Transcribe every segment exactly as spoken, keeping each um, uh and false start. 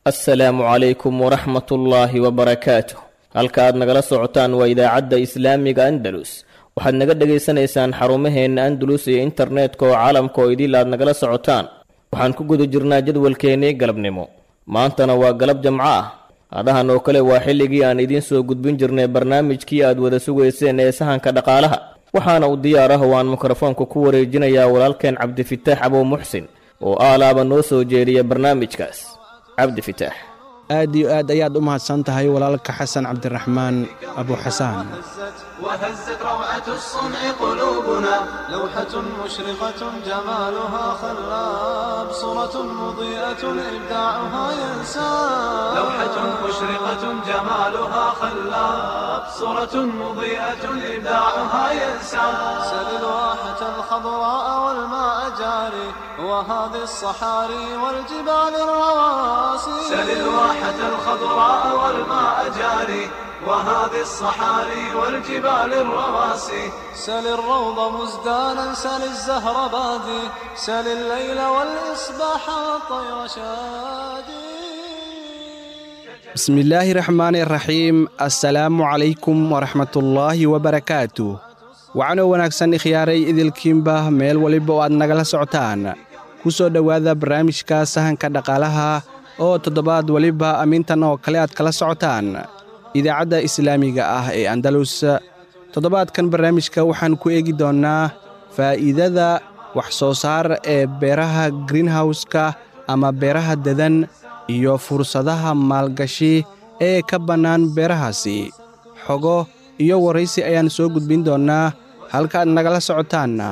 Assalaamu calaykum waraxmatullaahi wabarakaatuh. Halka aad nagala socotaan waa idaacadda Islaamiga Andalus. Waxaad naga dhegaysanaysaan xarumaheenna Andalus iyo internetka oo caalamka oo idil aad nagala socotaan. Waxaan ku guda jirnaa jadwalkeennii galabnimo. Maantana waa galab jamco ah. Hadahan oo kale waa xilligii aan idiin soo gudbin jirnay barnaamijkii aad wada sugayseen ee sahanka dhaqaalaha. Waxaana u diyaar ah oo aan mikrofoonka ku wareejinayaa walaalkeen Cabdifitaax Abow Muxsin oo aalaaba noo soo jeediya barnaamijkaas. Cabdifitaax, aad iyo aad ayaad u mahadsan tahay walaalka Xasan Cabdiraxmaan Abuxasaan. وهزت روعة الصنع قلوبنا، لوحة مشرقة جمالها خلاب، صورة مضيئة إبداعها ينساب. لوحة مشرقة جمالها خلاب، صورة مضيئة إبداعها ينساب. سل الواحة الخضراء والماء جاري، وهذه الصحاري والجبال الرواسي. سل الواحة الخضراء والماء جاري، وهذه الصحاري والجبال الرواسي. سل الروض مزدانا، سل الزهر بادي، سل الليل والإصباح والطير شادي. Bismillaahi raxmaani raxiim. Assalaamu calaykum waraxmatullaahi wabarakaatu. Wacanoo wanaagsan ikhyaaray idilkiinba meel waliba oo aad nagala socotaan. Ku soo dhowaada barnaamijka sahanka dhaqaalaha oo toddobaad waliba amintan oo kale aad kala socotaan idaacadda islaamiga ah ee Andalus. Toddobaadkan barnaamijka waxaan ku eegi doonnaa faa'iidada wax soo saar ee beeraha greenhowska ama beeraha dadan iyo fursadaha maalgashi ee ka bannaan beerahaasi. Xogo iyo waraysi ayaan soo gudbin doonnaa. Halka aad nagala socotaanna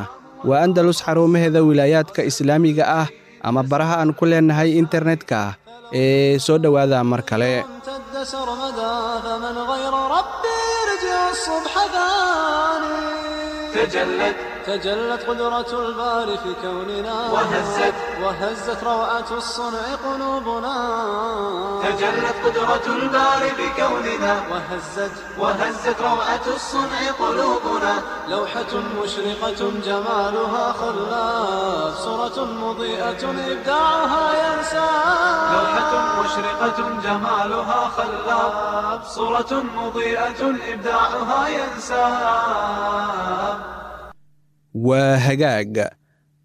waa Andalus xarumaheeda wilaayaadka islaamiga ah ama baraha aan ku leennahay internetka ee soo dhowaada mar kale. امتد سرمدا، فمن غير ربي يرجع الصبح ثاني. تجلت تجلت قدرة الباري في كوننا، وهزت وهزت روعة الصنع قلوبنا. تجلت قدرة الباري بكوننا، وهزت وهزت روعة الصنع قلوبنا. لوحة مشرقة جمالها خلاف، صورة مضيئة إبداعها ينسى. لوحة مشرقة جمالها خلاب، صورة مضيئة إبداعها ينساب. Waa hagaag.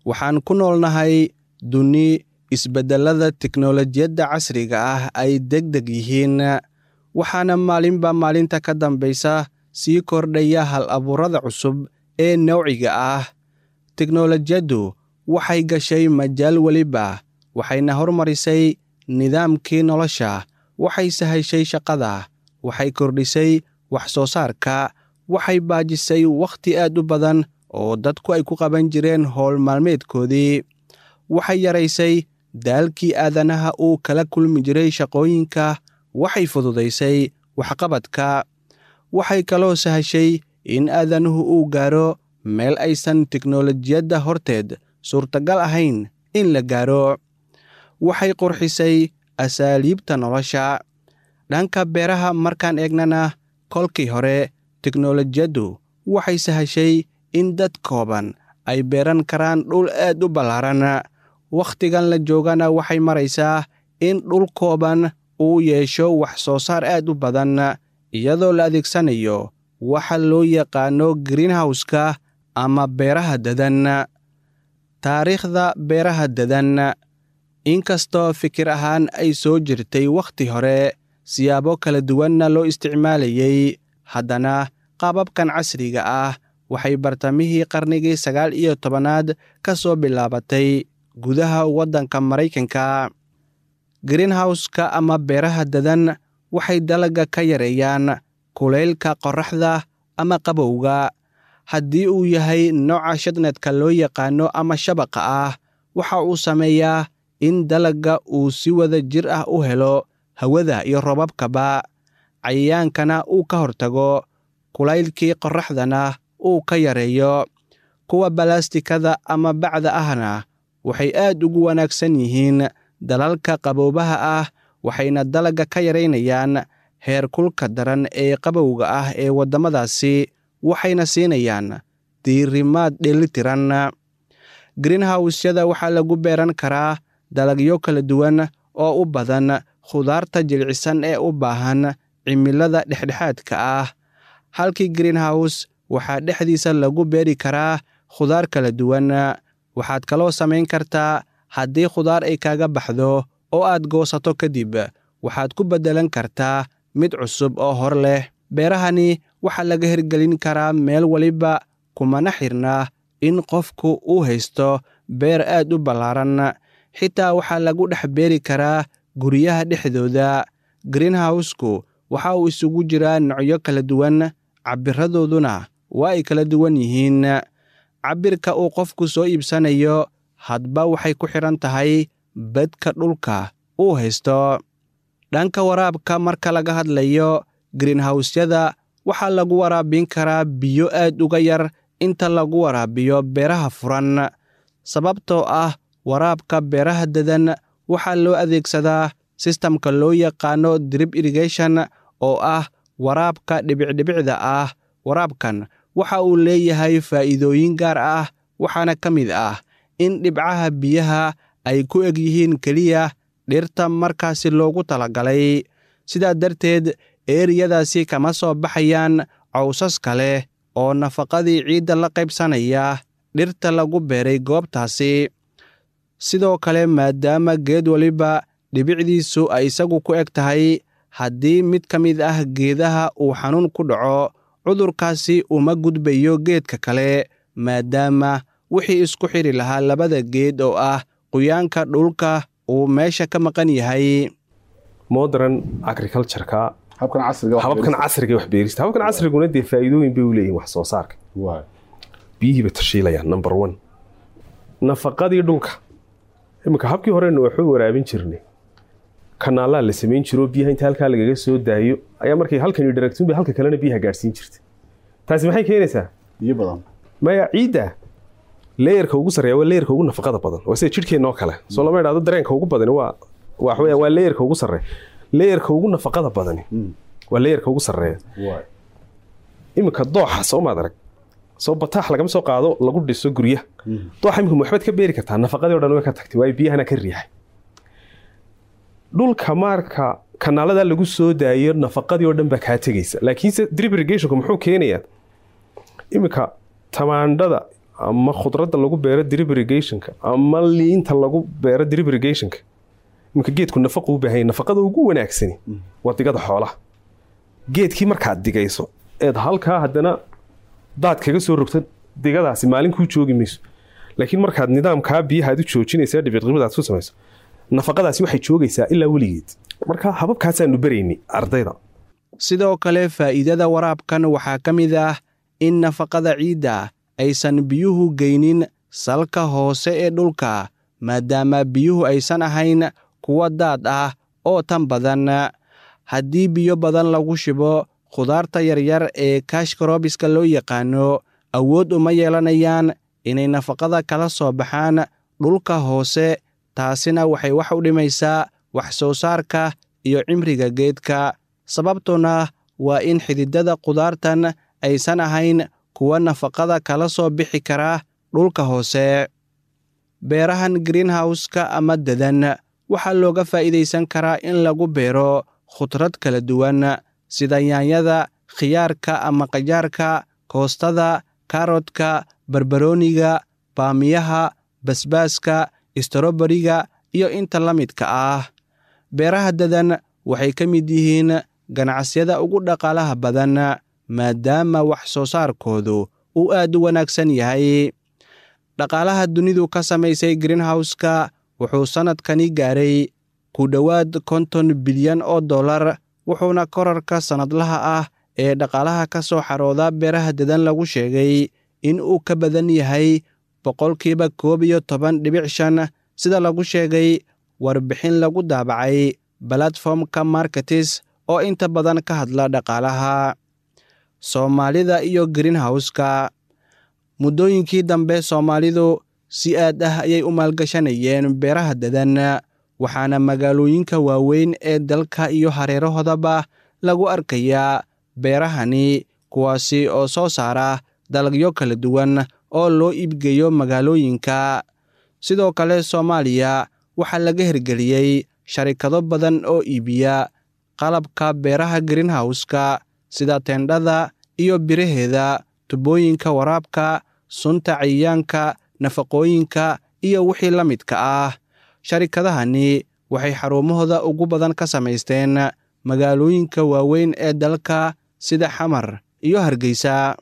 Waxaan ku noolnahay duni isbeddellada teknolojiyadda casriga ah ay deg deg yihiin, waxaana maalinba maalinta ka dambaysa sii kordhaya hal abuurada cusub ee nowciga ah. Teknolojiyaddu waxay gashay majaal weliba, waxayna hormarisay nidaamkii nolosha, waxay sahashay shaqada, waxay kordhisay wax soo saarka, waxay baajisay wakhti aad u badan oo dadku ay ku qaban jireen howl maalmeedkoodii, waxay yaraysay daalkii aadanaha uu kala kulmi jiray shaqooyinka, waxay fududaysay waxqabadka, waxay kaloo sahashay in aadanuhu uu gaaro meel aysan teknolojiyadda horteed suurtagal ahayn in la gaaro, waxay qurxisay asaaliibta nolosha. Dhanka beeraha markaan eegnana, kolkii hore teknolojiyaddu waxay sahashay in dad kooban ay beeran karaan dhul aad u ballaaran. Wakhtigan la joogana waxay maraysaa in dhul kooban uu yeesho wax soo saar aad u badan, iyadoo la adeegsanayo waxa loo yaqaano greenhowska ama beeraha dadan. Taariikhda beeraha dadan, inkastoo fikir ahaan ay soo jirtay wakhti hore, siyaabo kala duwanna loo isticmaalayay, haddana qaababkan casriga ah waxay bartamihii qarnigii sagaal iyo tobanaad ka soo bilaabatay gudaha waddanka Maraykanka. Greenhowska ama beeraha dadan waxay dalagga ka yareeyaan kulaylka qorraxda ama qabowga. Haddii uu yahay nooca shadnadka loo yaqaano ama shabaqa ah, waxa uu sameeyaa in dalagga uu si wada jir ah u helo hawada iyo roobabkaba, cayayaankana uu ka hortago, kulaylkii qorraxdana uu ka yareeyo. Kuwa balaastikada ama bacda ahna waxay aad ugu wanaagsan yihiin dalalka qaboobaha ah, waxayna dalagga ka yaraynayaan heerkulka daran ee qabowga ah ee waddamadaasi, waxayna siinayaan diirimaad dheelitiran. Greenhowsyada waxaa lagu beeran karaa dalagyo kala duwan oo u badan khudaarta jilicsan ee u baahan cimilada dhexdhexaadka ah. Halkii greenhouse waxaa dhexdiisa lagu beeri karaa khudaar kala duwan. Waxaad kaloo samayn kartaa haddii khudaar ay kaaga baxdo oo aad goosato kadib, waxaad ku beddelan kartaa mid cusub oo hor leh. Beerahani waxaa laga hirgelin karaa meel waliba, kumana xirna in qofku uu haysto beer aad u ballaaran. Xitaa waxaa lagu dhex beeri karaa guryaha dhexdooda. Greenhouse-ku waxa uu isugu jiraa noocyo kala duwan, cabbiradooduna waa ay kala duwan yihiin. Cabbirka uu qofku soo iibsanayo hadba waxay ku xidhan tahay bedka dhulka uu haysto. Dhanka waraabka marka laga hadlayo, greenhouse-yada waxaa lagu waraabin karaa biyo aad uga yar inta lagu waraabiyo beeraha furan, sababtoo ah waraabka beeraha dadan waxaa loo adeegsadaa sistamka loo yaqaano drip irrigation oo ah waraabka dhibicdhibicda ah. Waraabkan waxa uu leeyahay faa'iidooyin gaar ah, waxaana ka mid ah in dhibcaha biyaha ay ku eg yihiin keliya dhirta markaasi loogu talagalay. Sidaa darteed eeriyadaasi kama soo baxayaan cawsas kale oo nafaqadii ciidda la qaybsanaya dhirta lagu beeray goobtaasi. Sidoo kale, maadaama geed waliba dhibicdiisu ay isagu ku eg tahay, haddii mid ka mid ah geedaha uu xanuun ku dhaco, cudurkaasi uma gudbayo geedka kale, maadaama wixii isku xidhi lahaa labada geed oo ah qoyaanka dhulka uu meesha ka maqan yahay. Modern agriculture-ka, habkan casriga, hababkan casriga wax beerista, hababkan casriguna dee faa'iidooyin bay u leeyihiin wax soo saarka. Waay biyihii bay tashiilayaan, number one, nafaqadii dhulka. Iminka habkii horena waxu waraabin jirnay kanaalaa la samayn jiro, biyaha inta halkaa lagaga soo daayo ayaa markay halkan dharagtuun bay halka kalena biyaha gaadhsiin jirtay. Taasi maxay keenaysaa? Biyo badan. Maya, ciidda layerka ugu sarreeya waa layerka ugu nafaqada badan, waa sida jidhkeenna oo kale. Soo lama idhaahdo dareenka ugu badani waa waxa weeyaan waa layerka ugu sarreeya, layerka ugu nafaqada badani waa layerka ugu sarreeya. Waay iminka dooxa soo maad arag, soo bataax lagama soo qaado lagu dhiso guryaha dooxa. Iminka waxbaad ka beeri kartaa, nafaqadii o dhan way ka tagtay, waayo biyahana ka riixay dhulka. Marka kanaalada lagu soo daayo nafaqadii oo dhan baa kaa tegaysa. Laakiinse drip irrigationku muxuu keenayaa? Iminka tamaandhada ama khudradda lagu beero drip irrigationka ama liinta lagu beero drip irrigationka, iminka geedku nafaqu u baahan yahay. Nafaqada ugu wanaagsani waa digada xoolaha. Geedkii markaad digayso eed halkaa haddana daad kaga soo rogta, digadaasi maalin kuu joogi mayso. Laakiin markaad nidaamkaa biyaha aad u joojinaysa, dhibicdhibicdaad ku samayso, nafaqadaasi waxay joogaysaa ilaa weligeed. Marka hababkaasaanu baraynay ardayda. Sidoo kale, faa'iidada waraabkan waxaa ka mid ah in nafaqada ciidda aysan biyuhu geynin salka hoose ee dhulka, maadaama biyuhu aysan ahayn kuwa daad ah oo tan badan. Haddii biyo badan lagu shibo khudaarta yaryar ee cash crops-ka loo yaqaano, awood uma yeelanayaan inay nafaqada kala soo baxaan dhulka hoose, taasina waxay wax u dhimaysaa wax soo saarka iyo cimriga geedka, sababtuna waa in xididada khudaartan aysan ahayn kuwa nafaqada kala soo bixi kara dhulka hoose. Beerahan greenhouse-ka ama dadan waxaa looga faa'iidaysan karaa in lagu beero khudrad kala duwan sida yaanyada, khiyaarka ama qajaarka, koostada, kaaroodka, barbarooniga, baamiyaha, basbaaska, stroberiga iyo inta la midka ah. Beeraha dadan waxay ka mid yihiin ganacsiyada ugu dhaqaalaha badan, maadaama wax soo saarkoodu uu aad u wanaagsan yahay. Dhaqaalaha dunidu ka samaysay greenhouse-ka wuxuu sannadkani gaaray ku dhowaad konton bilyan oo dollar, wuxuuna korarka sannadlaha ah ee dhaqaalaha ka soo xarooda beeraha dadan lagu sheegay in uu ka badan yahay boqolkiiba koob iyo toban dhibic shan, sida lagu sheegay warbixin lagu daabacay platformka Markets oo inta badan ka hadla dhaqaalaha. Soomaalida iyo greenhouse-ka. Muddooyinkii dambe Soomaalidu si aad ah ayay u maalgashanayeen beeraha dadan, waxaana magaalooyinka waaweyn ee dalka iyo hareerahoodaba lagu arkayaa beerahani, kuwaasi oo soo saara dalagyo kala duwan oo loo iibgeeyo magaalooyinka. Sidoo kale, Soomaaliya waxaa laga hirgeliyey sharikado badan oo iibiya qalabka beeraha greenhouse-ka sida teendhada iyo biraheeda, tubooyinka waraabka, sunta cayayaanka, nafaqooyinka iyo wixii la midka ah. Sharikadahani waxay xarumahooda ugu badan ka samaysteen magaalooyinka waaweyn ee dalka sida Xamar iyo Hargeysa.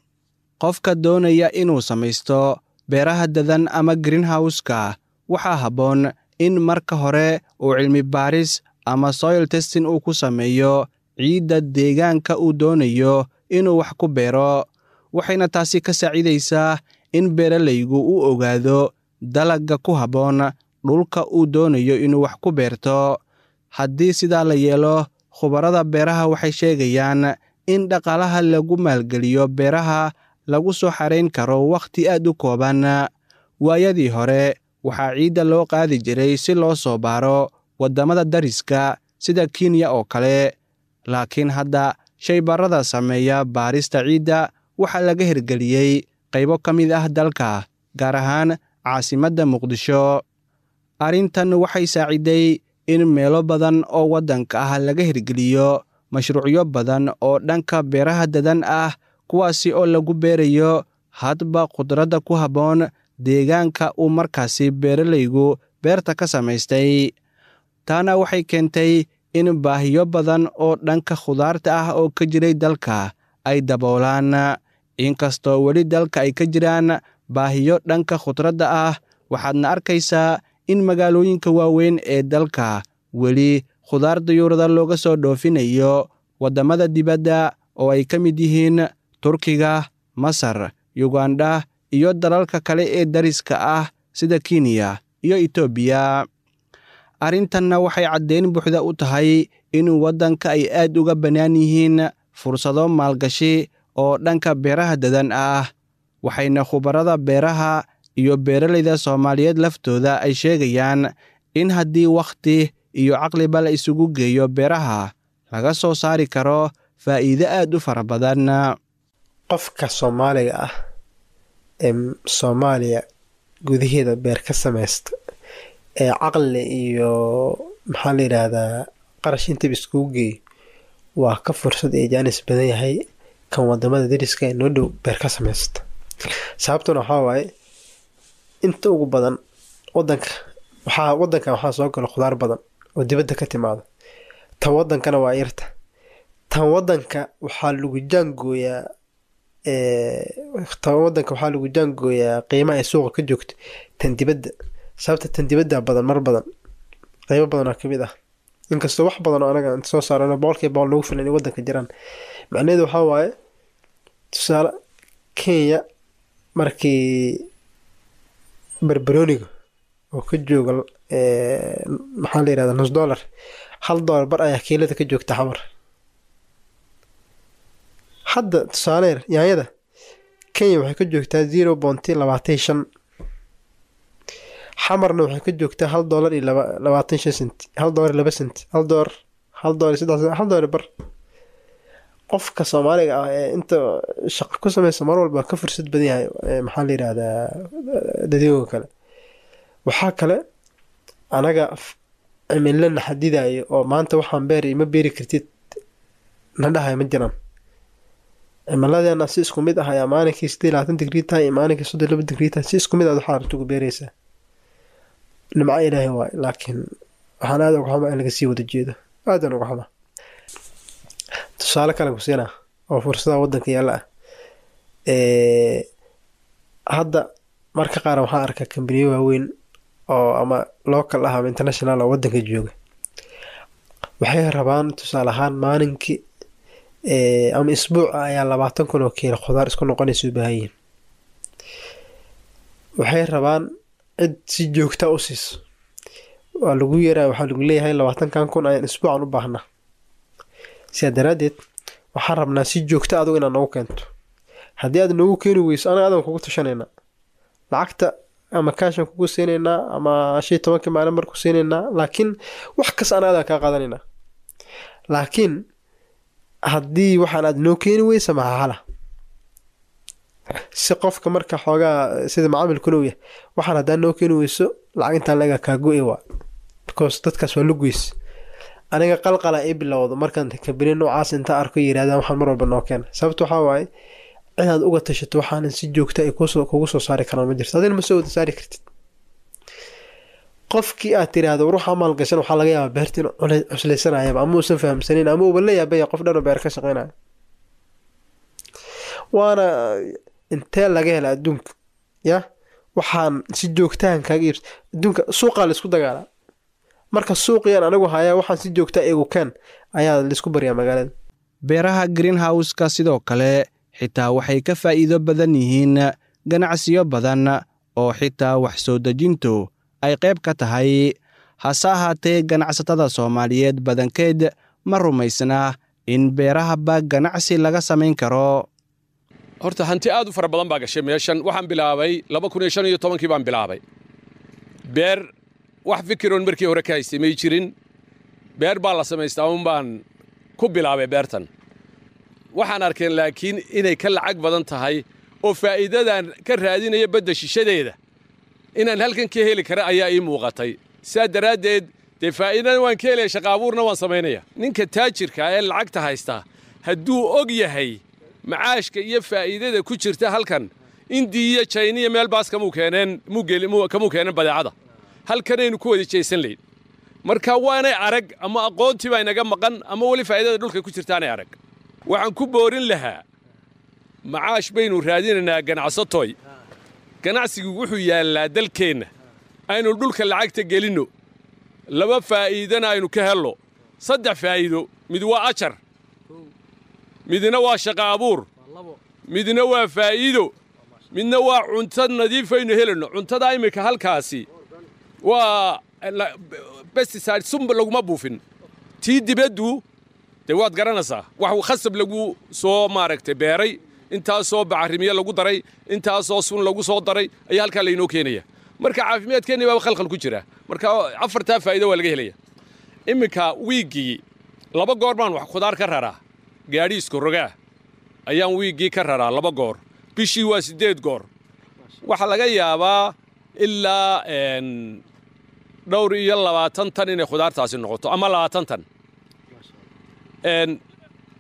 Qofka doonaya inuu samaysto beeraha dadan ama greenhouse-ka waxaa habboon in marka hore uu cilmi baaris ama soil testing uu ku sameeyo ciidda deegaanka uu doonayo inuu wax ku beero, waxayna taasi ka saacidaysaa in beeralaygu uu ogaado dalagga ku habboon dhulka uu doonayo inuu wax ku beerto. Haddii sidaa la yeelo, khubarada beeraha waxay sheegayaan in dhaqaalaha lagu maalgeliyo beeraha lagu soo xarayn karo wakhti aad u kooban. Waayadii hore waxaa ciidda loo qaadi jiray si loo soo baaro waddamada dariska sida Kenya oo kale, laakiin hadda shaybaarada sameeya baarista ciidda waxaa laga hirgeliyey qaybo ka mid ah dalka, gaar ahaan caasimadda Muqdisho. Arrintan waxay saaciday in meelo badan oo waddanka ah laga hirgeliyo mashruucyo badan oo dhanka beeraha dadan ah, kuwaasi oo lagu beerayo hadba khudradda ku habboon deegaanka uu markaasi beeralaygu beerta ka samaystay. Taana waxay keentay in baahiyo badan oo dhanka khudaarta ah oo ka jiray dalka ay daboolaan. Inkastoo weli dalka ay ka jiraan baahiyo dhanka khudradda ah, waxaadna arkaysaa in magaalooyinka waaweyn ee dalka weli khudaar dayuurada looga soo dhoofinayo waddamada dibadda oo ay ka mid yihiin Turkiga, Masar, Yugandha iyo dalalka kale ee dariska ah sida Kenya iyo Itoobiya. Arrintanna waxay caddeyn buuxda u tahay in waddanka ay aad uga bannaan yihiin fursado maalgashi oo dhanka beeraha dadan ah, waxayna khubarada beeraha iyo beeralayda Soomaaliyeed laftooda ay sheegayaan in haddii wakhti iyo caqliba la isugu geeyo beeraha laga soo saari karo faa'iido aad u fara badan. Qofka Soomaaliga ah ee Soomaaliya gudaheeda beer ka samaysta ee caqli iyo maxaa la yidhaahdaa qarash intaba iskugu geeyo waa ka fursad iyo jaanis badan yahay kan wadamada dariska ee noo dhow beer ka samaysta. Sababtuna waxaa waaye inta ugu badan wadanka waxaa wadanka waxaa soo gala khudaar badan oo dibadda ka timaada, tan wadankana waa yarta. Tan wadanka waxaa lagu jaangooyaa tan wadanka waxaa lagu jaangooyaa qiimaha ay suuqa ka joogto tan dibadda. Sababta tan dibadda badan mar badan qeybo badan oo kamid ah, inkastoo wax badan oo anaga inta soo saarano boqolkiiba boqol nagu filan inay wadanka jiraan. Macnaheedu waxaa waaye tusaale Kenya markii barbarooniga oo ka jooga maxaa la yidhahdaa nus dollar, hal dollar bar ayaa kiilada ka joogta Xamar. Hadda tusaale yar yaanyada Kenya waxay ka joogtaa zero point labaatan iyo shan, Xamarna waxay ka joogtaa hal dollar iyo laba labaatan shan senti, hal dollar iyo laba senti, hal dollar, hal dollar iyo saddex senti, hal dollar bar. Qofka Soomaaliga ah ee inta shaqo ku sameysa mar walba ka fursad badan yahay maxaa la yidhaahdaa dadweynaha kale. Waxaa kale anaga cimilana xadidayo oo maanta waxaan beeri ma beeri kartid na dhahayo ma jiraan. Cimiladeena si isku mid ah ayaa maalinkii siddeed iyo labaatan digrii tahay iyo maalinkii soddon iyo laba digrii tahay, si isku mid ah waxaa rabta ugu beeraysaa. Nimco Ilaahay waaye, laakiin waxaan aad uga xumaa in laga sii wada jeedo, aad aan uga xumaa. Tusaale kale ku siinaa oo fursadaha wadanka yaalla ah. Ee hadda marka qaar waxaan arkaa kambaniyo waaweyn oo ama local ah ama international oo wadanka jooga. Waxay rabaan tusaale ahaan maalinkii ee ama isbuuc ayaa labaatan kun oo kiilo khudaar isku noqonaysa u baahan yihiin. Waxay rabaan cid si joogta u siiso. Waa lagu yeeraa, waxaa lagu leeyahay labaatankan kun ayaan isbuucan u baahnaa. Sidaa daraaddeed waxaan rabnaa si joogta adigu inaad noogu keento. Haddii aad noogu keeni weyso anaga adan kugu tashanaynaa. Lacagta ama kaashan kugu siinaynaa ama shan iyo tobankii maalin mar ku siinaynaa, laakiin wax kasta anaga adan kaa qaadanaynaa. Laakiin haddii waxaan aad noo keeni weyso maxaa hala? Si qofka marka xoogaa sida macaamilkuna uu yahay, waxaan haddaan noo keeni weyso lacag intaan laga kaa go'i waa. Because dadkaas waa lugeys. Aniga qalqala ii bilowdo markaan kambani noocaas inta arko yirahdaan waxaan mar walba noo keena. Sababta waxaa waaye inaad uga tashato waxaanan si joogta ay kusoo kugu soo saari karaan ma jirto, adina ma soo wada saari kartid. Qofkii aad tiraahdo ruuxa maalgashan waxaa laga yaabaa beerta inuu cusleysanayaba ama uusan fahamsanin ama uuba la yaabaya qof dhan oo beer ka shaqeynaya. Waana intee laga hela adduunka ya waxaan si joogtahan kaaga iibs adduunka suuqaa laisku dagaalaa. Marka suuqiyaan anigu hayaa waxaan si joogta igu keen ayaa laisku baryaa magaalada. Beeraha greenhouse-ka sidoo kale xitaa waxay ka faa'iido badan yihiin ganacsiyo badan oo xitaa wax soo dejintu ay qayb ka tahay. Hase ahaatee ganacsatada Soomaaliyeed badankeed ma rumaysna in beerahaba ganacsi laga samayn karo. Horta hanti aad u fara badan baa gashay meeshan. Waxaan bilaabay laba kun iyo shan iyo tobankii baan bilaabay beer. Wax fikiroon markii hore ka haystay may jirin. Beer baa la samaystaa un baan ku bilaabay beertan. Waxaan arkeen laakiin inay ka lacag badan tahay oo faa'iidadan ka raadinaya badda shishadeeda inaan halkan ka heli kara ayaa ii muuqatay. Sidaa daraaddeed dee faa'iidana waan ka helaya, shaqa abuurna waan samaynaya. Ninka taajirka ee lacagta haystaa hadduu og yahay macaashka iyo faa'iidada ku jirta halkan, Indiya iyo Jayniya meel baas kamuu keeneen, kamuu keeneen badeecada halkanaynu ku wada jeesan layn. Marka waanay arag ama aqoontii baa inaga maqan ama weli faa'iidada dhulka ku jirtaanay arag. Waxaan ku boorin lahaa macaash baynu raadinaynaa ganacsatoy. Ganacsigu wuxuu yaallaa dalkeenna, aynu dhulka lacagta gelinno, laba faa'iidana aynu ka hello, saddex faa'iido: mid waa ajar, midna waa shaqa abuur, midna waa faa'iido, midna waa cunto nadiifaynu helayno. Cuntada iminka halkaasi waa pesticide, sunba laguma buufin. Tii dibaddu dee waad garanaysaa, wax khasab lagu soo maaragtay beeray, intaasoo bacrimiye lagu daray, intaasoo sun lagu soo daray ayaa halkaa laynoo keenaya. Marka caafimaadkeenni baaba khalkhal ku jira. Marka afartaa faa'iido waa laga helaya. Iminka wiiggii laba goor baan wax khudaar ka raraa, gaadhi isku rogaa ayaan wiiggii ka raraa laba goor, bishii waa siddeed goor. Waxaa laga yaabaa ilaa dhowr iyo labaatan tan inay khudaartaasi noqoto ama labaatan tan.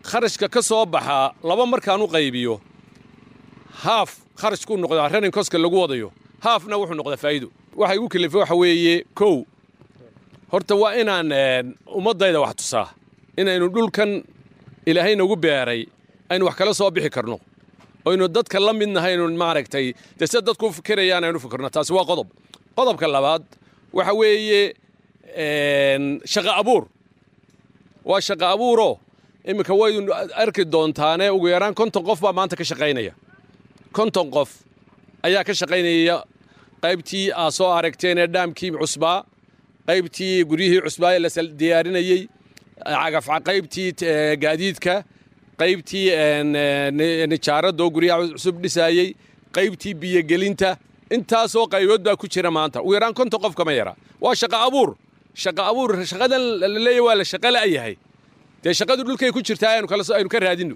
Kharashka ka soo baxaa laba markaan u qaybiyo, haaf kharashkuu noqdaa running cost-ka lagu wadayo, haafna wuxuu noqdaa faa'iido. Waxa igu kalifay waxa weeye, kow, horta waa inaan ummaddayda wax tusaa inaynu dhulkan Ilaahay nagu beeray aynu wax kala soo bixi karno, aynu dadka la mid nahay, aynu maaragtay dee sida dadku u fikirayaan aynu fikirno. Taasi waa qodob. Qodobka labaad waxa weeye shaqo abuur. Waa shaqo abuuroo iminka waynu arki doontaane ugu yaraan konton qof baa maanta ka shaqaynaya. Konton qof ayaa ka shaqaynaya qaybtii aa soo aragteen ee dhaamkii cusbaa, qaybtii guryihii cusbaa ee la diyaarinayey, cagaf, qaybtii gaadiidka, qaybtii nijaaradoo guryaha cusub dhisaayey, qaybtii biyogelinta. Intaasoo qaybood baa ku jira maanta. Ugu yaraan konton qof kama yara. Waa shaqo abuur, shaqo abuur. Shaqadan la leeyahay waa la shaqo la'yahay, dee shaqadu dhulkay ku jirtaa, aynu kala aynu ka raadino.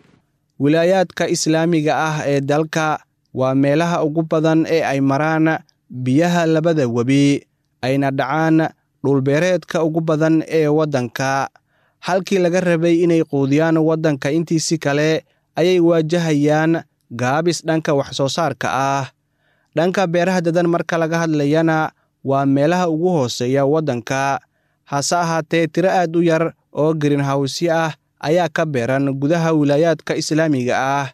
Wilaayaadka islaamiga ah ee dalka waa meelaha ugu badan ee ay maraan biyaha labada webi, ayna dhacaan dhulbeereedka ugu badan ee waddanka. Halkii laga rabay inay quudiyaan waddanka intiisi kale ayay waajahayaan gaabis dhanka wax soo saarka ah. Dhanka beeraha dadan marka laga hadlayana waa meelaha ugu hooseeya waddanka. Hase ahaatee tiro aad u yar oo greenhouse ah ayaa ka beeran gudaha wilaayaadka islaamiga ah.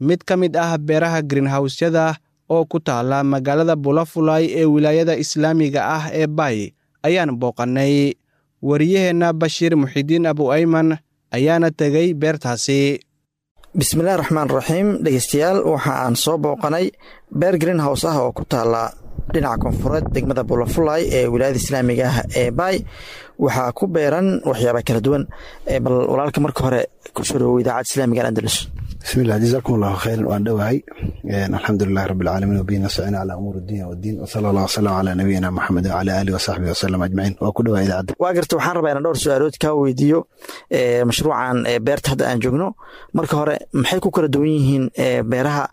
Mid ka mid ah beeraha greenhouse-yada oo ku taala magaalada Bulafulay ee wilaayada islaamiga ah ee Bay ayaan booqannay. Wariyaheenna Bashiir Muxidiin Abu Ayman ayaana tegey beertaasi. Bismillahi raxmaan raxiim. Dhegeystayaal, waxa aan soo booqanay beer greenhouse ah oo ku taala dhinaca koonfureed degmada Bulafulay ee wilaayada islaamiga ah ee Baay. Waxaa ku beeran waxyaaba kala duwan. Bal walaalka marka hore kusoo dhawow Idaacadda Islaamiga Andalus. Bismillah, jazakum Allahu khayran, waan dhowahay. Alxamdulilahi rabbi alcaalamiin, wabihi nastaciin calaa umuuri dunya waddiin, wasala allah wasalam calaa nabiyina Maxamed wacala aalihi wasaxbihi wasalam ajmaciin. Waa ku dhowaa idaacadda. Waa garta. Waxaan rabaa inaan dhowr su-aalood kaa weydiiyo mashruucan beerta hadda aan joogno. Marka hore, maxay ku kala duwan yihiin beeraha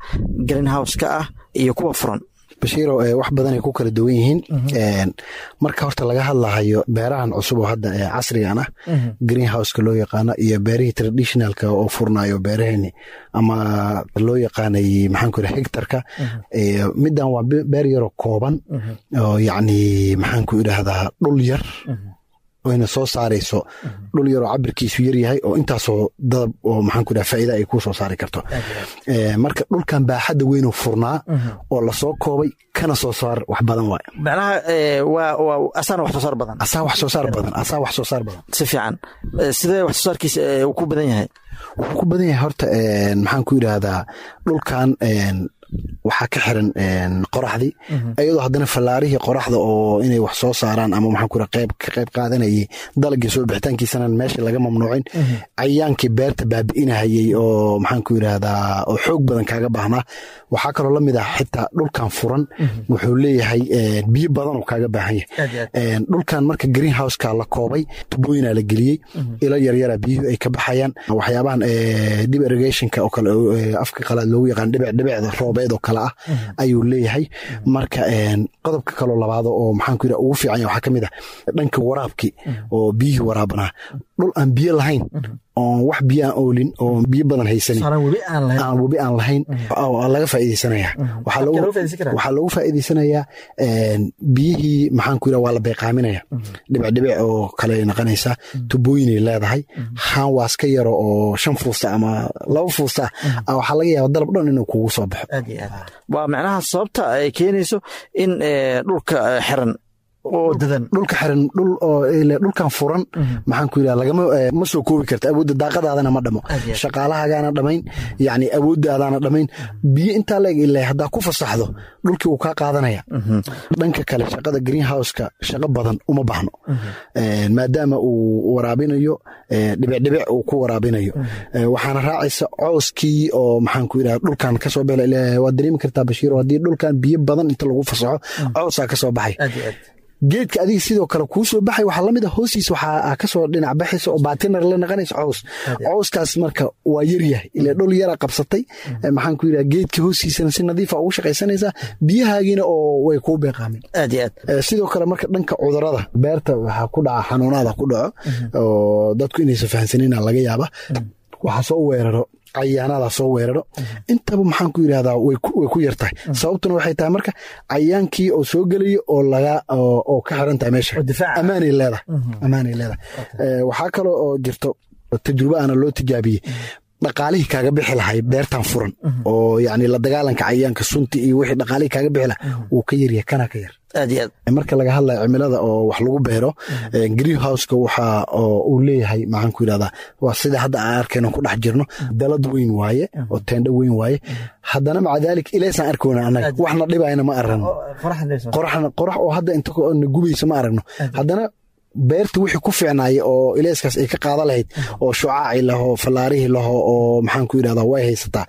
greenhouse-ka ah iyo kuwa furan? Bashiiro, wax badanay ku kala duwan yihiin. Marka horta laga hadlahayo beerahan cusub oo hadda casrigan ah, greenhouseka loo yaqaano, iyo beerihii traditionalka oo furnayo beeraheeni ama loo yaqaanay maxaan ku idhaha hectarka, middan waa beer yaroo kooban oo yacni maxaan ku idhaahdaa dhul yar oyna soo saarayso, dhul yaroo cabirkiisu yar yahay oo intaasoo dadab oo maxaan ku idhaha faa'iida ay kuu soo saari karto. Marka dhulkan baaxadda weynoo furnaa oo lasoo koobay kana soo saar wax badan waay. Macnaha waa waa asaana wax soo saar badan. Asaa wax soo saar badan, asaa wax soo saar badan. Si fiican, sidee wax soo saarkiisa uu ku badan yahay? Wuxuu ku badan yahay horta maxaan ku idhaahdaa dhulkan waxaa ka xiran qoraxdii, iyadoo haddana fallaarihii qoraxda oo inay wax soo saaraan ama maxaan ku qayb ka qayb qaadanayay dalagii soo bixitaankiisana meesha laga mamnuucin, cayaankii beerta baabi'inahayay oo maxaan ku yidhaahdaa oo xoog badan kaaga baahnaa. Waxaa kaloo la mid ah xitaa dhulkan furan wuxuu leeyahay biyo badan oo kaaga baahan yahay. Dhulkan marka greenhouseka la koobay, tubooyinaa la geliyey, ilo yaryara biyuhu ay ka baxayaan, waxyaabahan drip irrigationka oo kale afka qalaad loogu yaqaan dhibic dhibicda roobeed oo kale ah ayuu leeyahay. Marka qodobka kaloo labaad oo maxaan ku yidhaha ugu fiican yahay waxaa ka mid ah dhanka waraabkii oo biyihii waraabanaa. Dhul aan biyo lahayn oon wax biyo aan oolin oo biyo badan haysanin, aan webi aan lahayn, laga faa'iidaysanaya. Waxaa loogu faa'iidaysanayaa biyihii maxaan ku yidhaha waa la beeqaaminaya, dhibic dhibic oo kale noqonaysa, tubooyinay leedahay, haan waas ka yaro oo shan fuusta ama laba fuusta ah waxaa laga yaaba dalab dhan inuu kugu soo baxo. Waa macnaha sababta ay keenayso in dhulka xiran oo dadan dhulka xiran dhul oo dhulkan furan maxaan ku yidhaha lagama ma soo koobi karta awoodda daaqadaadana ma dhamo, shaqaalahagaana dhamayn, yacni awooddaadaana dhamayn, biyo intaa la eg ilaa haddaa ku fasaxdo dhulkii wuu kaa qaadanaya. Dhanka kale shaqada greenhouseka shaqo badan uma baahno maadaama uu waraabinayo dhibic dhibic uu ku waraabinayo, waxaana raacaysa cooskii oo maxaan ku yidhaha dhulkan kasoo bela. Waad dareemi kartaa Bashiiro, haddii dhulkan biyo badan inta lagu fasaxo coosaa kasoo baxay, geedka adiga sidoo kale kuu soo baxay waxaa lamid a hoostiisa waxaa kasoo dhinac baxaysa oo baatinar la naqanaysa cows. Cowskaas marka waa yaryahay ila dhul yara qabsatay, maxaan ku yidhaha geedka hoostiisana si nadiifa ugu shaqaysanaysaa, biyahaagiina oo way kuu beeqaamin. Aad iyo aad. Sidoo kale marka dhanka cudurada beerta waxaa ku dhaca xanuunaada ku dhaco oo dadku inaysan fahansanina laga yaaba, waxaa soo weeraro cayaanaada soo weeraro, intaba maxaan ku yidhahdaa way ku yar tahay. Sababtuna waxay tahay marka cayaankii oo soo gelayo oo laga oo ka xiran tahay meesha, ammaanay leedahay, ammaanay leedahay. Waxaa kaloo oo jirto tajrubo aana loo tijaabiyey dhaqaalihii kaaga bixi lahay beertan furan oo yacni la dagaalanka cayaanka sunti iyo wixii dhaqaalihii kaaga bixi lahay wuu ka yaryahay kana ka yar. Aad iyo aad. Marka laga hadlayo cimilada oo wax lagu beero, greenhouseka waxa uu leeyahay maxaan ku yidhahdaa waa sida hadda aan arkayno ku dhex jirno, dalad weyn waaye oo teendho weyn waaye, haddana maca daalik ilaysaan arkoona annaga waxna dhibayna ma aragno, qoraxna qorax oo hadda inta na gubaysa ma aragno, haddana beerta wixii ku fiicnaaya oo ilayskaas ay ka qaada lahayd oo shucaaci laho fallaarihii laho oo maxaan ku yidhahdaa way haysataa.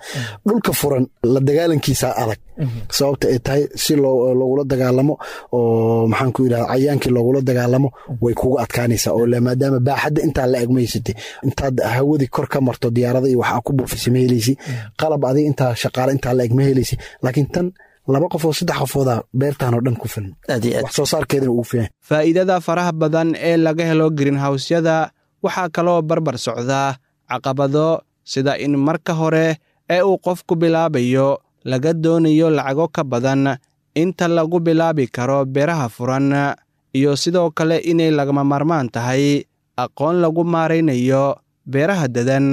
Dhulka furan la dagaalankiisa adag, sababta ay tahay si loogula dagaalamo oo maxaan ku yidhahdaa cayaankii loogula dagaalamo way kugu adkaanaysaa oo maadaama baaxadda intaa la eg ma haysatay, intaad hawadii kor ka marto diyaarada iyo waxaa ku buufisay ma helaysi, qalab adiga intaa shaqaale intaa la eg ma helaysi, laakiin tan laba qof oo saddex qofooda beertan oo dhan ku filan, wax soo saarkeedana ugu filan. Faa'iidada faraha badan ee laga helo greenhousyada waxaa kaloo barbar socdaa caqabado, sida in marka hore ee uu qofku bilaabayo laga doonayo lacago ka badan inta lagu bilaabi karo beeraha furan, iyo sidoo kale inay lagama maarmaan tahay aqoon lagu maaraynayo beeraha dadan.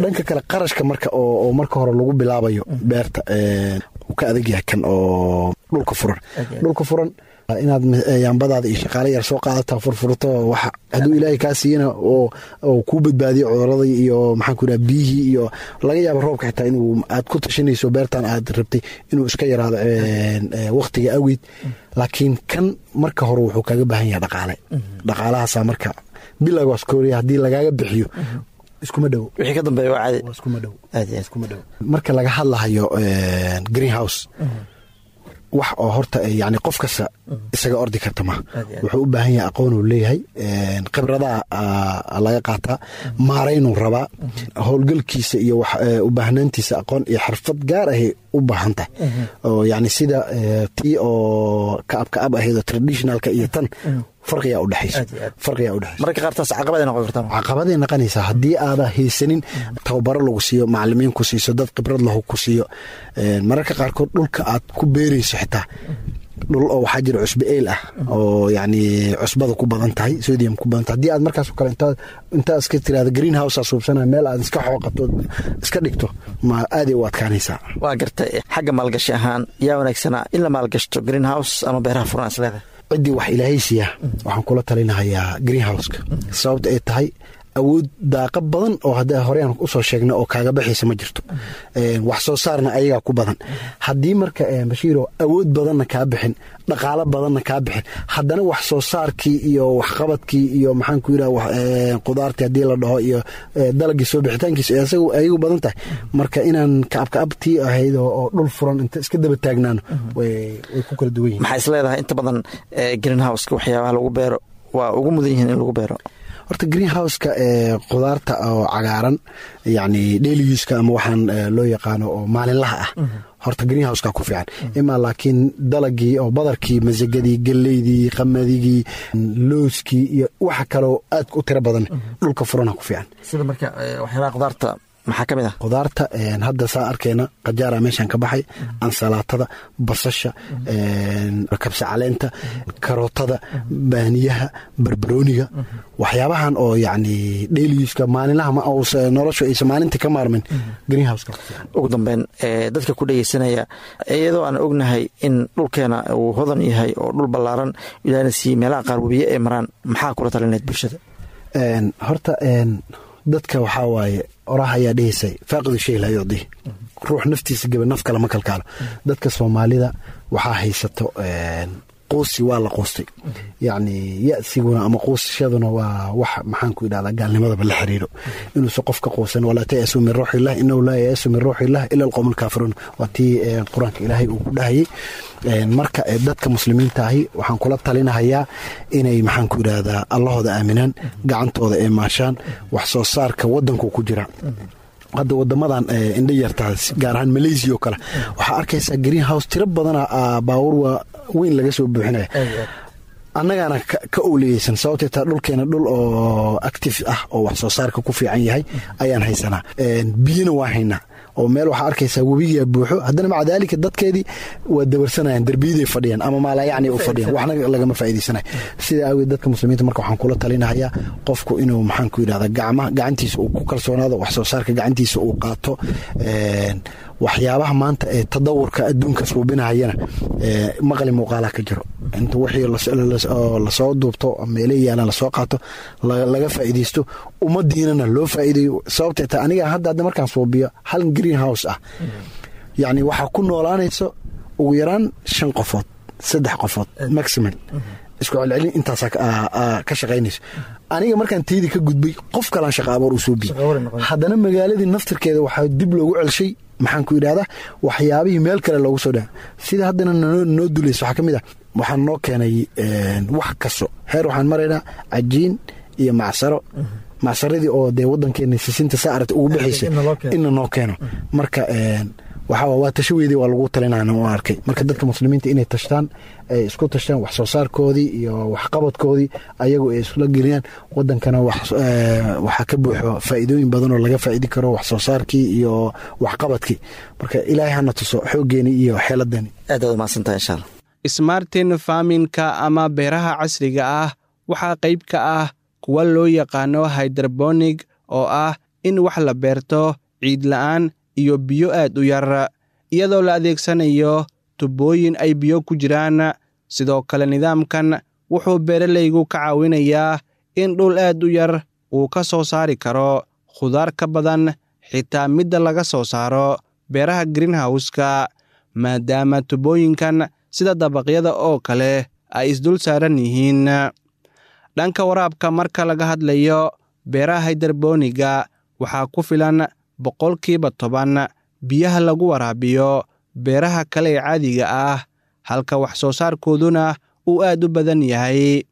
Dhanka kale qarashka marka oo marka hore lagu bilaabayo beerta uu ka adag yahay kan oo dhulka furan. Dhulka furan inaad yaambadaada iyo shaqaale yar soo qaadataa furfurto, waxa hadduu ilaahay kaa siiyana oo kuu badbaadiyo cuduradii iyo maxaan ku yidhaha biyihii iyo laga yaabo roobka xitaa inuu aad ku tashanayso beertan aad rabtay inuu iska yaraado waqtiga awgeed, laakiin kan marka hore wuxuu kaaga baahan yahay dhaqaale. Dhaqaalahaasaa marka bilowgaas kooriya haddii lagaaga bixiyo iskuma dhowo, wixii ka dambeeya waa caadi. Iskuma dhowo, iskuma dhowo. Marka laga hadlahayo greenhouse Wax oo horta yani qof kasta isaga ordi karta ma wuxuu u baahan yahay aqoon uu leeyahay, khibradaha laga qaataa, maaraynuu rabaa howlgalkiisa iyo u baahnaantiisa aqoon iyo xirfad gaar ahay u baahan tahay, oo yani sida tii oo kaab kaab ahayd oo traditionalka iyo tan farqiyaa u dhexaysa, farqiyaa u dhexaysa. Mararka qaar taas caqabaday noqon kartaa. Caqabaday noqonaysaa haddii aada haysanin tababaro lagu siiyo, macalimiin ku siiso, dad khibrad lahu ku siiyo. Mararka qaarkood dhulka aad ku beerayso xitaa dhul oo waxaa jira cusbe eel ah oo yani cusbada ku badan tahay, sodium ku badan tahay. Haddii aad markaas oo kale intaa intaa iska tiraahdo green house aa suubsanaya, meel aad iska xooqato iska dhigto, ma aaday u adkaanaysaa. Waa gartay. Xagga maalgashi ahaan yaa wanaagsanaa in la maalgashto, green house ama beeraha furan is leedahay? Ciddii wax ilaahay siiya waxaan kula talinahayaa greenhouseka, sababta ay tahay awood daaqa badan oo hadda horeyaan usoo sheegna oo kaaga baxaysa ma jirto, wax soo saarna ayagaa ku badan. Haddii marka Bashiiro awood badanna kaa bixin, dhaqaalo badanna kaa bixin, haddana wax soo saarkii iyo waxqabadkii iyo maxaan ku yidhaha qudaartii haddii la dhaho iyo dalagii soo bixitaankiisa isagu ayagu badan tahay. Marka inaan kaabkaabtii ahayd oo dhul furan inta iska daba taagnaano way ku kala duwan yihin. Maxaa is leedahay inta badan greenhouseka waxyaabaha lagu beero waa ugu mudan yihiin in lagu beero? Horta greenhouseka ee qudaarta oo cagaaran, yani daily use-ka ama waxaan loo yaqaano oo maalinlaha ah, horta greenhouseka ku fiican imaa, laakiin dalagii oo badarkii, masagadii, geleydii, qamadigii, looskii iyo waxa kaloo aad u tiro badan dhulka furana ku fiican. Sida marka waxyaabaha qudaarta maxaa ka mid ah? Qudaarta hadda saa arkeyna qajaara meeshan ka baxay, ansalaatada, basasha, kabsa caleenta, karootada, baaniyaha, barbarooniga, waxyaabahan oo yani daily use-ka maalinlaha noloshu aysan maalintii ka maarmin greenhouseka. Ugu dambeyn, dadka ku dhegeysanaya, iyadoo aan ognahay in dhulkeena uu hodan yahay oo dhul ballaaran ilaahna siiyey, meelaha qaar webiye ay maraan, maxaa kula talineed bulshada? Horta dadka waxaa waaye oraah ayaa dhehaysay, faaqidu shay laa yucdii, ruux naftiisa gaba naf kale ma kalkaalo. Dadka Soomaalida waxaa haysato quusi, waa la quustay, yacni ya-siguna ama quusashaduna waa wax maxaan ku idhahdaa gaalnimadaba la xiriiro, inuusan qof ka quusan. Walaa tayasu min ruuxillah inahu laa yayasu min ruuxillah ila alqowm alkaafiruun, waa tii Qur-aanka Ilaahay uu ku dhahayay. Marka dadka muslimiinta ahi waxaan kula talinahayaa inay maxaan ku idhahdaa Allahooda aaminaan, gacantooda ay maashaan, wax soo saarka wadanku ku jira. Hadda wadamadan indha yartaa, gaar ahaan Malaysia oo kale, waxaa arkaysaa green house tiro badana baawur waa weyn laga soo buuxinaya, annagaana ka owliyeysan, sababtee taa dhulkeena dhul oo active ah oo wax soo saarka ku fiican yahay ayaan haysanaa, biyona waa haynaa, oo meel waxaa arkaysaa webigaa buuxo, haddana maca daalika dadkeedii waa dabarsanayaan, derbiyaday fadhiyaan ama maalayacni u fadhiyaan, waxna lagama faa'iidaysanayo. Sida awgeed dadka muslimiinta marka waxaan kula talinahayaa qofku inuu maxaan ku yidhahda gacma gacantiisa uu ku kalsoonaado, wax soo saarka gacantiisa uu qaato. Waxyaabaha maanta ee tadawurka adduunka suubinahayana maqli muuqaalaha ka jiro, inta wixii lasoo duubto meele yaalaan lasoo qaato, laga faa'iidaysto, ummadiinana loo faa'iidayo. Sababtee ta aniga hadda hadda markaan suubiyo hal green house ah, yacni waxaa ku noolaanayso ugu yaraan shan qofood, saddex qofood maximum, isku celcelin intaasaa ka shaqaynayso. Aniga markaan teydii ka gudbay, qof kalaan shaqa abuur uu soo biyey, haddana magaaladii naftirkeeda waxaa dib loogu celshay maxaan ku idhahdaa waxyaabihii meel kale loogu soo dhaa. Sida haddana noo dulaysa waxaa ka mid ah waxaa noo keenay wax kasto heer waxaan maraynaa cajiin iyo macsaro, macsaradii oo dee wadankeena sisinta saa aragta ugu bixaysa inna noo keeno. Marka waxaa waa tasho weydii waa lagu talinana u arkay. Marka dadka muslimiinta inay tashtaan, ay isku tashtaan wax soo saarkoodii iyo waxqabadkoodii ayagu ay isla geliyaan, wadankana waxaa ka buuxo faa'iidooyin badan oo laga faa'idi karo wax soo saarkii iyo waxqabadkii. Marka Ilaahay hana tuso xooggeeni iyo xeeladeeni. Aad aad umahadsantahay insha Allah. Smartin farminka ama beeraha casriga ah waxaa qayb ka ah kuwa loo yaqaano hydrobonig, oo ah in wax la beerto ciid la'aan iyo biyo aad u yar, iyadoo la adeegsanayo tubooyin ay biyo ku jiraan. Sidoo kale nidaamkan wuxuu beeralaygu ka caawinayaa in dhul aad u yar uu ka soo saari karo khudaar ka badan xitaa midda laga soo saaro beeraha greenhouse-ka, maadaama tubooyinkan sida dabaqyada oo kale ay isdul saaran yihiin. Dhanka waraabka marka laga hadlayo, beeraha hydroboniga waxaa ku filan boqolkiiba toban biyaha lagu waraabiyo beeraha kale ee caadiga ah, halka wax soo saarkooduna uu aad u badan yahay.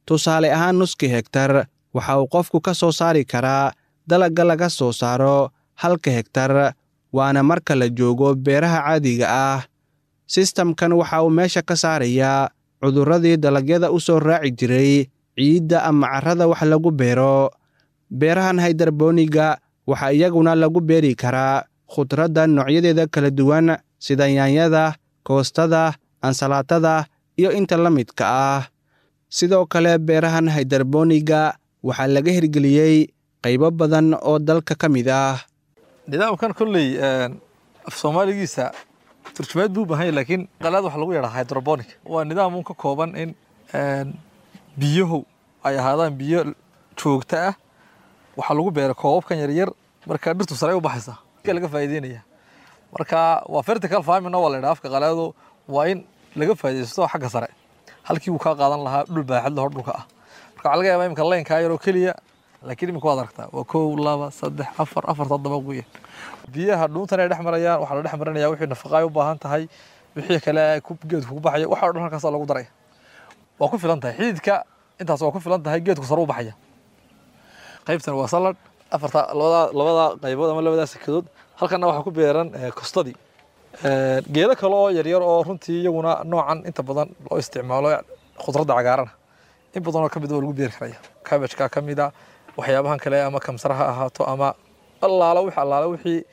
Tusaale ahaan, nuskii hegtar waxa uu qofku ka soo saari karaa dalagga laga soo saaro halka hegtar, waana marka la joogo beeraha caadiga ah. Sistamkan waxa uu meesha ka saarayaa cudurradii dalagyada u soo raaci jiray ciidda ama carrada wax lagu beero. Beerahan haydarbooniga waxaa iyaguna lagu beeri karaa khudradda noocyadeeda kala duwan sida yaanyada, koostada, ansalaatada iyo inta la midka ah. Sidoo kale beerahan haydarbooniga waxaa laga hirgeliyey qaybo badan oo dalka ka mid ah. Nidaamkan kolley af Soomaaligiisa turjumaad buu u baahan yahay, laakiin qalaad waxa lagu yidhaha hydroponic. Waa nidaam un ka kooban in biyuhu ay ahaadaan biyo joogto ah. Waxaa lagu beera koobabkan yaryar, marka dhirtu sare u baxaysa laga faa'iideynaya. Marka waa vertical farming waa la yidhaha afka qalaado, waa in laga faa'iidaysto xagga sare halkii uu kaa qaadan lahaa dhul baaxad leh oo dhulka ah. Marka waxaa laga yaabaa imika laynkaa yaroo keliya, laakiin imika waad aragtaa waa kow, laba, saddex, afar, afar toddoba weeyaan. Biyaha dhuuntan ay dhex marayaan waxaa la dhex marinaya wixii nafaqa ay u baahan tahay, wixii kale ku geedku ku baxayo, waxa oo dhan halkaasaa lagu daraya. Waa ku filan tahay xididka, intaas waa ku filan tahay, geedku sare u baxaya. Qaybtan waa salad, afarta labada labada qaybood ama labada sakadood. Halkana waxaa ku beeran kostadii, geedo kale oo yaryar oo runtii iyaguna noocan inta badan loo isticmaalo khudradda cagaarana in badan oo ka mid waa lagu beeri karaya. Cabbage-ka ka mid a, waxyaabahan kale ama kamsar ha ahaato ama allaala wixii allaala wixii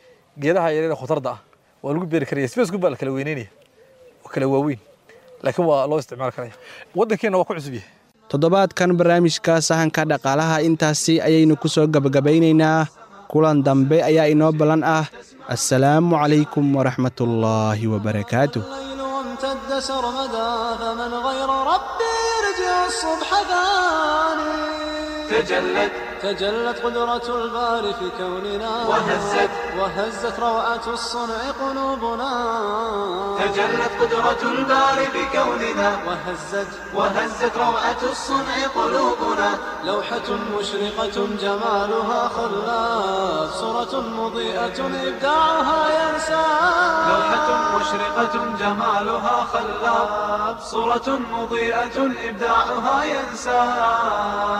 geedaha yaryar ee khudradda ah waa lagu beeri karaya. Space-ku baa la kala weyneynaya oo kala waaweyn, laakiin waa loo isticmaali karaya. Waddankeena waa ku cusub yahay. Toddobaadkan barnaamijka sahanka dhaqaalaha intaasi ayaynu ku soo gebagabaynaynaa. Kulan dambe ayaa inoo ballan ah. Assalaamu calaykum waraxmatullaahi wabarakaatuh. الليل وامتد سرمدا، فمن غير ربي يرجع الصبح ثاني. تجلت تجلت قدرة الباري في كوننا، وهزت وهزت روعة الصنع قلوبنا. تجلت قدرة الباري بكوننا، وهزت وهزت روعة الصنع قلوبنا. لوحة مشرقة جمالها خلاف، صورة مضيئة إبداعها ينسى. لوحة مشرقة جمالها خلاب، صورة مضيئة إبداعها ينساب.